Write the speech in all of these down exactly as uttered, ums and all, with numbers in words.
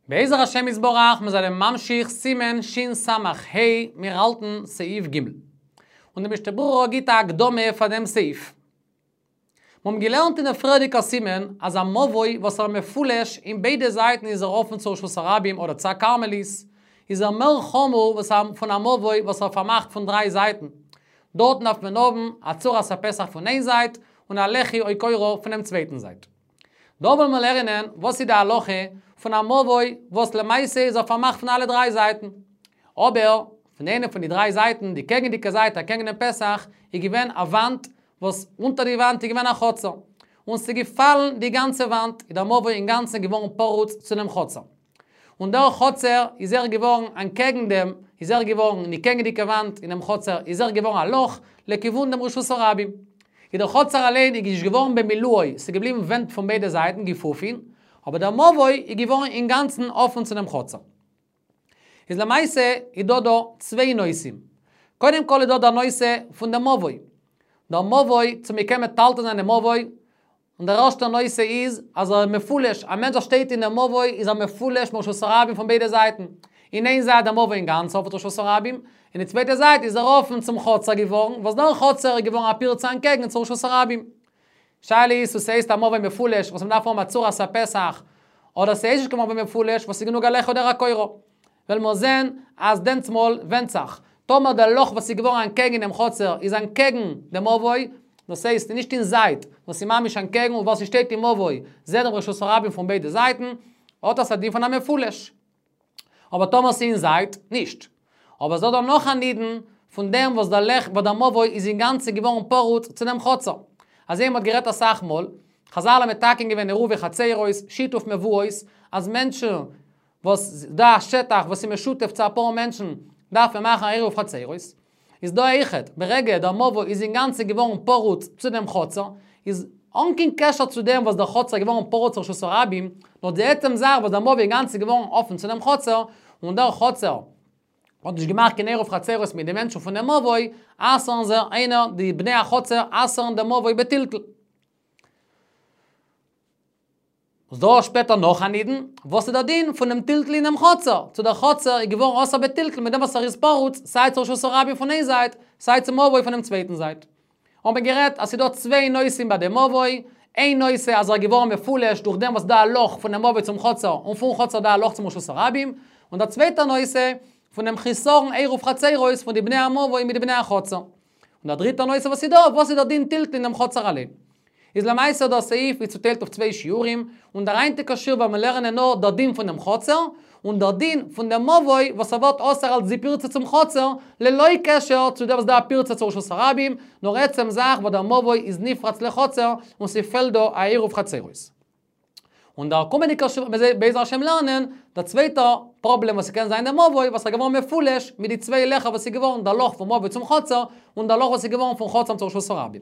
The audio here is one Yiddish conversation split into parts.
בעזר השם יתברך, מיר זענען ממשיך סימן שין סמך הא, מיר האלטן סעיף ג'. און דער משנה ברורה גיט א הקדמה פאר דעם סעיף. מיר האבן געלערנט אין דער פריערדיגער סימן, אז א מבוי וואס ער מפולש אין ביידע זייטן איז ער אפן צו רשות הרבים אדער צו א כרמלית, איז ער מער חמור וואס א פון א מבוי וואס ער פארמאכט פון דריי זייטן. דארטן דארף מען האבן א צורת הפתח פון איין זייט און א לחי או קורה פונעם צווייטן זייט. דא וועלן מיר לערנען וואס איז די הלכה פון א מבוי וואס למעשה איז ער פארמאכט פון אלע דריי זייטן. אבער פון איינע פון די דריי זייטן, די קעגנדיגע זייט אקעגן דעם פתח, איז געווען א וואנט וואס אונטער די וואנט איז געווען א חצר. און ס'איז געפאלן די גאנצע וואנט, איז דער מבוי אינגאנצן געווארן פרוץ צו דעם חצר. און דער חצר איז ער געווארן אנטקעגן דעם, איז ער געווארן אין די קעגנדיגע וואנט אין דעם חצר, איז ער געווארן א לאך לכיוון דעם רשות הרבים. איז דער חצר אליין איז נישט געווארן במילואו, ס'איז געבליבן ווענט פון ביידע זייטן גיפופין, אבער דער מבוי איז געווארן אינגאנצן אפן צו דעם חצר. איז למעשה איז דא דא צוויי נושאים. קודם כל איז דא דער נושא פון דעם מבוי. דער מבוי, צו מ'קען מטלטל זיין דעם מבוי, און דער ערשטער נושא איז, אז ער איז מפולש, א מענטש וואס שטייט אין דעם מבוי איז ער מפולש מרשות הרבים פון ביידע זייטן. אין איין זייט דער מבוי אינגאנצן אפן צו רשות הרבים, אין די צווייטע זייט איז ער אפן צום חצר געווארן, וואס דער חצר איז געווארן א פירצה אנטקעגן צו רשות הרבים. שאלה איז צו ס'הייסט א מבוי מפולש וואס מ'דארף האבן א צורת הפתח, אדער ס'הייסט נישט קיין מבוי מפולש וואס איז גענוג א לחי אדער א קורה. וועלן מיר זען אז דענסמאל ווענדט זיך, טאמער דער לאך וואס איז געווארן אנטקעגן דעם חצר איז אנטקעגן דעם מבוי, דאס הייסט נישט אין זייט, נאר ס'איז ממש אנטקעגן און וואס ס'שטייט אין מבוי זעט דעם רשות הרבים פון ביידע זייטן, האט עס א דין פון א מפולש. אבער טאמער ס'איז אין זייט, נישט. אבער ס'דא דא נאך א נידון פון דעם וואס דער לעך וואס דער מבוי איז אינגאנצן געווארן פרוץ צו דעם חצר. אזוי ווי מ'האט גערעדט אסאך מאל, חזל האבן מתקן געווען עירובי חצרות, שיתוף מבואות, אז מענטשן וואס דא א שטח וואס איז משותף צו אפאר מענטשן, דארף מען מאכן א עירוב חצרות. איז דא אויכעט, ברגע דער מבוי איז אינגאנצן געווארן פרוץ צו דעם חצר, איז אן קיין קשר צו דעם וואס דער חצר איז געווארן פרוץ רשות הרבים, נאר די עצם זאך וואס דער מבוי אינגאנצן געווארן אפן צו דעם חצר, און דער חצר האט נישט געמאכט קיין עירוב חצרות מיט די מענטשן פון דעם מבוי, אסר'ן זיי איינער, די בני החצר אסר'ן דעם מבוי בטלטול. איז דא שפעטער נאך א נידון, וואס איז דער דין פונעם טלטול אינעם חצר, צו דער חצר איז געווארן אסור בטלטול מיט דעם וואס ער איז פרוץ סיי צו רשות הרבים פון איין זייט, סיי צום מבוי פונעם צווייטן זייט. האבן מיר גערעדט אז ס'איז דא צוויי נושאים ביי דעם מבוי, איין נושא אז ער איז געווארן מפולש דורך דעם וואס דא א לאך פונעם מבוי צום חצר און פון חצר דא א לאך צום רשות הרבים, און דער צווייטער נושא פונעם חיסרון עירוב חצרות פון די בני המבוי מיט די בני החצר. און דער דריטער נושא וואס איז דא, וואס איז דער דין טלטול אין דעם חצר אליין. איז למעשה דער סעיף איז צוטיילט אויף צוויי שיעורים, און דער היינטיגער שיעור וועלן מיר לערנען נאר דער דין פון דעם חצר, און דער דין פון דעם מבוי וואס ער ווערט אסור אלס די פירצה צום חצר, ללא קשר צו דעם וואס דא א פירצה צו רשות הרבים, נאר עצם זאך וואס דער מבוי איז נפרץ לחצר און ס'פעלט דא א עירוב חצרות. און דער קומענדיגער שיעור וועט מען בעזר השם לערנען דער צווייטער פראבלעם וואס ס'קען זיין דער מבוי וואס איז געווארן מפולש מיט די צוויי לעכער וואס איז געווארן דער לאך פון מבוי צום חצר און דער לאך וואס איז געווארן פון חצר צו רשות הרבים.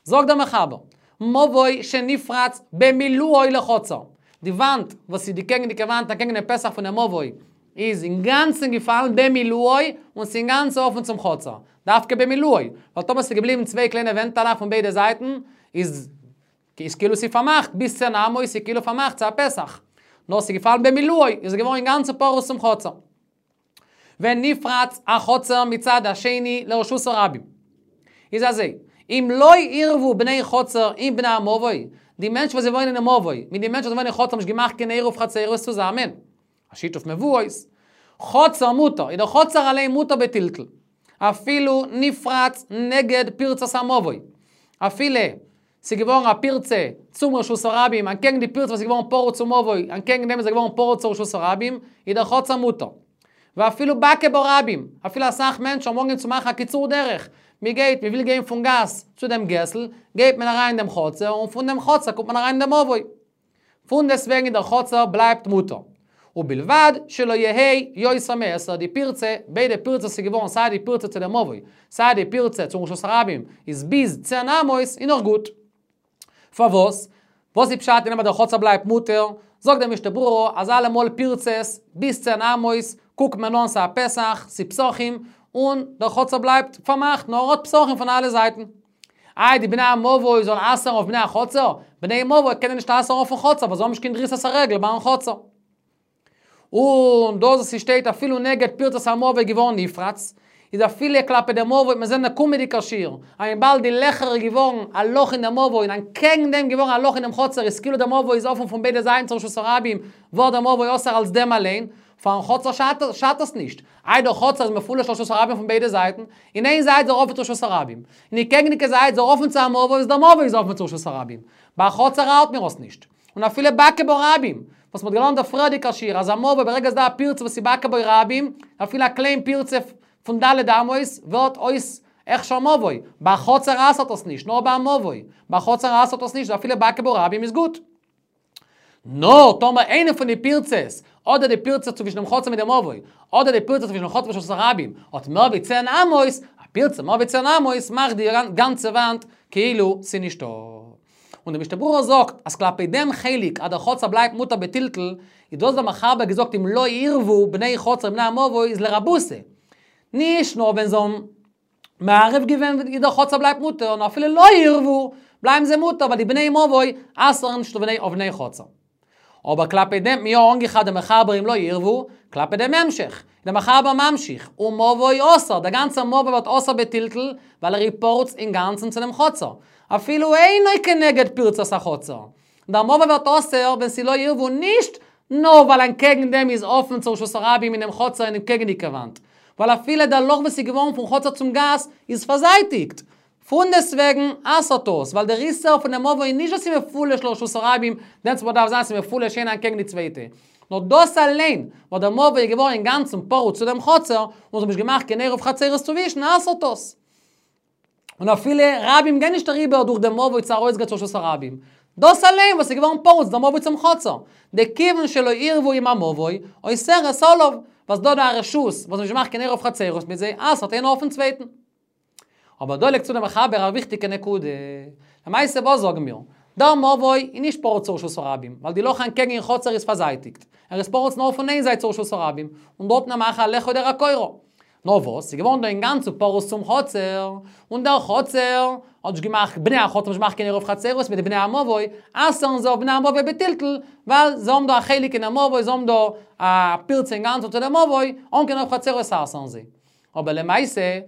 זאגט דער מחבר, מבוי שנפרץ במילואו לחצר, די וואנט וואס איז די קעגנדיגע וואנט אקעגן דעם פתח פונעם מבוי איז אינגאנצן געפאלן במילואו און ס'איז אינגאנצן אפן צום חצר, דווקא במילואו, ווייל טאמער ס'איז געבליבן צוויי קליינע ווענטעלעך פון ביידע זייטן איז איז כאילו ס'איז פארמאכט ביז צען אמות איז כאילו פארמאכט צו א פתח. נאר ס'איז געפאלן במילואו, איז געווארן אינגאנצן פרוץ צום חצר. ונפרץ החצר מצד השני לרשות הרבים. איז אזוי, אם לא עירבו בני חצר עם בני המבוי, די מענטשן וואס זיי וואוינען אין מבוי, מיט די מענטשן וואס וואוינען אין חצר האבן נישט געמאכט קיין עירוב חצרות צוזאמען. א שיתוף מבואות. חצר מותר, איז דער חצר אליין מותר בטלטול. אפילו נפרץ נגד פרצת המבוי. אפילו ס'איז געווארן א פירצה צום רשות הרבים, אנטקעגן די פירצה וואס איז געווארן פרוץ צום מבוי, אנטקעגן דעם איז ער געווארן פרוץ צו רשות הרבים, איז דער חצר מותר. ואפילו בקעה ברבים, אפילו אסאך מענטשן האבן אנגעהויבן צו מאכן א קיצור דרך, מ'גייט, מ'וויל גיין פון גאס צו דעם געסל, גייט מען אריין אין דעם חצר, און פון דעם חצר קומט מען אריין אין דעם מבוי. פונדעסטוועגן דער חצר בלייבט מותר. ובלבד שלא יהא יותר מעשר די פירצה, ביידע פירצות איז געווארן סיי די פירצה צו דעם מבוי, סיי די פירצה צום רשות הרבים, איז ביז צען אמות איז נאך גוט. פארוואס? וואס איז פשט אין דעם אז דער חצר בלייבט מותר? זאגט דער משנה ברורה אז אלעמאל פירצות ביז צען אמות קוקט מען אן ס'א פתח, ס'איז פתחים, און דער חצר בלייבט פארמאכט נאר האט פתחים פון אלע זייטן. איי די בני המבוי זאלן אסר'ן אויף בני החצר? בני מבוי קענען נישט אסר'ן אויפן חצר ווייל זיי האבן נישט קיין דריסת הרגל ביים חצר. און דאס שטייט אפילו נגד פירצת המבוי געווארן נפרץ, איז אפילו כלפי דעם מבוי, מיר זעען דער קומענדיגער שיעור, אז וויבאלד די לעכער געווארן א לאך אין דעם מבוי, און אנטקעגן דעם געווארן א לאך אין דעם חצר, איז כאילו דער מבוי איז אפן פון ביידע זייטן צו רשות הרבים, ווערט דער מבוי אסור אלס דעם אליין, פארן חצר שאדט עס נישט. איי דער חצר איז מפולש לרשות הרבים פון ביידע זייטן, אין איין זייט איז ער אפן צו רשות הרבים, אין די קעגנדיגע זייט איז ער אפן צו א מבוי, איז דער מבוי איז אפן צו רשות הרבים. ביי חצר ארט מיר עס נישט. און אפילו בקעה בו רבים, וואס מ'האט געלערנט דער פריערדיגער שיעור, אז א מבוי ברגע ס'איז דא א פירצה וואס איז בקעה בו רבים, אפילו א קליין פירצה פון ד' אמות ווערט אויס הכשר מבוי. ביי חצר אסר'ט עס נישט, נאר ביי מבוי. ביי חצר אסר'ט עס נישט, אפילו בקעה בו רבים איז גוט. נאר טאמער איינע פון די פירצות, אדער די פירצה צווישן דעם חצר מיט דעם מבוי, אדער די פירצה צווישן דעם חצר ורשות הרבים, האט מער ווי צען אמות, א פירצה מער ווי צען אמות מאכט די גאנצע וואנט כאילו ס'איז נישטא. און דער משנה ברורה זאגט, אז כלפי דעם חלק, אז דער חצר בלייבט מותר בטלטול, איז דאס דער מחבר געזאגט אם לא עירבו בני חצר עם בני המבוי איז לרבותא. נישט נאר ווען זיי האבן מערב געווען ווי דער חצר בלייבט מותר, נאר אפילו לא עירבו, בלייבן זיי מותר, ווייל די בני מבוי אסר'ן נישט אויף בני חצר. אבער כלפי דעם מיר אנגעכאפט דער מחבר אם לא עירבו, כלפי דעם המשך. דער מחבר ממשיך, ומבוי אסור, דער גאנצער מבוי ווערט אסור בטלטול, ווייל ער איז פרוץ אינגאנצן צו דעם חצר. אפילו אינו כנגד פירצת החצר. דער מבוי ווערט אסור, ווען ס'איז לא עירבו נישט נאר ווייל אנטקעגן דעם איז אפן צו רשות הרבים אין דעם חצר אין דעם קעגנדיגע וואנט. ווייל אפילו דער לאך וואס איז געווארן פון חצר צום גאס איז פארזייטיגט. פונדעסטוועגן אסר'ט עס, ווייל דער איסור פון דעם מבוי איז נישט אז ס'איז מפולש לרשות הרבים, דענסטמאל דארף זיין ס'איז מפולש איינע אנטקעגן די צווייטע. נאר דאס אליין, וואס דער מבוי איז געווארן אינגאנצן פרוץ צו דעם חצר, און זיי האבן נישט געמאכט קיין עירוב חצרות צווישן, אסר'ט עס. און אפילו רבים גייען נישט אריבער דורך דעם מבוי צו ארויסגיין צו רשות הרבים. דאס אליין וואס איז געווארן פרוץ דער מבוי צום חצר. דכיוון שלא עירבו עם המבוי, אוסרת עליו, וואס דא דא א רשות, וואס נישט געמאכט קיין עירוב חצרות מיט זיי, אסר'ט איינער אויפן צווייטן. אבער דא לייגט צו דער מחבר א וויכטיגע נקודה. למעשה וואס זאגן מיר? דער מבוי איז נישט פרוץ צו רשות הרבים, ווייל די לאך אנטקעגן אין חצר איז פארזייטיגט. ער איז פרוץ נאר פון איין זייט צו רשות הרבים, און דארט מאכט א לחי דער הקורה. נאר וואס, ס'איז געווארן דא אינגאנצן פרוץ צום חצר, און דער חצר האט נישט געמאכט, בני החצר האבן נישט געמאכט קיין עירוב חצרות מיט די בני המבוי, אסר'ן זיי אויף בני המבוי בטלטול, ווייל זיי האבן דא א חלק אין דעם מבוי, זיי האבן דא א פירצה אינגאנצן צו דעם מבוי, אן קיין עירוב חצרות אסר'ן זיי. אבער למעשה,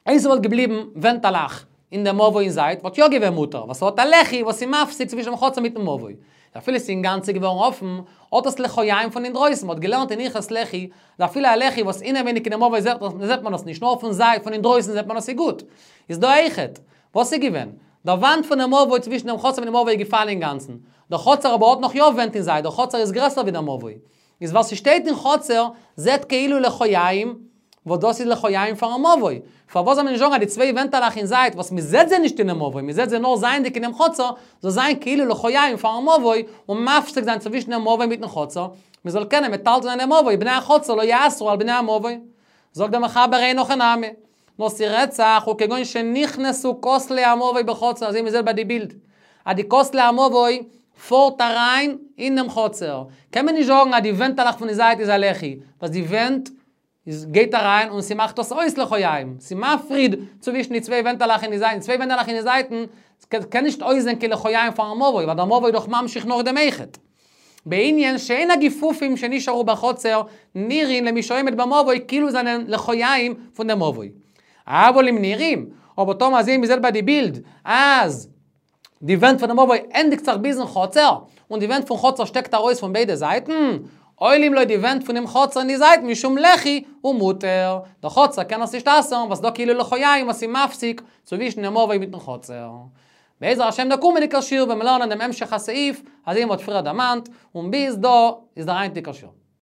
אויב ס'וואלט געבליבן ווענטעלעך אין דעם מבוי אין זייט, וואלט יא געווען מותר, ווייל ס'האט א לחי וואס איז מפסיק צווישן דעם חצר מיטן מבוי. אפילו ס'איז אינגאנצן געווארן אפן, האט עס לחיים פון אינדרויסן, מ'האט געלערנט אין הלכות לחי, אז אפילו א לחי וואס אינעווייניג אין דעם מבוי זעט זעט מען עס נישט, נאר פון זייט, פון אינדרויסן זעט מען עס איז גוט. איז דא אויכעט. וואס איז געווען? דער וואנט פון דעם מבוי צווישן דעם חצר מיט דעם מבוי איז געפאלן אינגאנצן. דער חצר אבער האט נאך יא ווענט אין זייט, דער חצר איז גרעסער ווי דער מבוי. איז וואס ס'שטייט אין חצר, זעט כאילו לחיים, וואס דאס איז לחיים פארן מבוי. פארוואס זאל מען נישט זאגן אז די צוויי ווענטעלעך אין זייט, וואס מ'זעט זיי נישט אינעם מבוי, מ'זעט זיי נאר זייענדיג אינעם חצר, זאל זיין כאילו לחיים פארן מבוי, און מפסיק זיין צווישן דעם מבוי מיטן חצר, מ'זאל קענען מטלטל זיין דעם מבוי, בני החצר לא יאסרו על בני המבוי. זאגט דער מחבר אין הכי נמי. נאר ס'רעדט זיך וכגון שנכנסו כותלי המבוי בחצר, אזוי מ'זעט ביי די בילד. אז די כותלי המבוי פארט אריין אין דעם חצר. קען מען נישט זאגן אז די ווענטעלעך פון די זייט איז א לחי, ווייל די ווענט איז גייט אריין און ס'מאכט דאס אויס לחיים. ס'מפריד צווישן די צוויי ווענטעלעך אין די זייטן. צוויי ווענטעלעך אין די זייטן קען נישט אויסזען קיין לחיים פארן מבוי, ווייל דער מבוי איז דאך ממשיך נאך דעם אויכעט. בענין שאין הגיפופים שנשארו בחצר נראין למי שעומד במבוי כאילו זענען לחיים פון דעם מבוי. אבל אם נראים, אבער טאמער אזוי מ'זעט ביי די בילד, אז די ווענט פון דעם מבוי ענדיגט זיך ביזן חצר, און די ווענט פון חצר שטעקט ארויס פון ביידע זייטן, עולים לו די ווענט פונעם חצר אין די זייטן משום לחי ומותר. דער חצר קען עס נישט אסר'ן, וואס דא כאילו לחיים וואס איז מפסיק צווישן דעם מבוי מיטן חצר. בעזר השם דער קומענדיגער שיעור ווען מיר לערנען דעם המשך הסעיף, אזוי ווי מ'האט פריער דערמאנט, און ביז דא איז דער היינטיגער שיעור.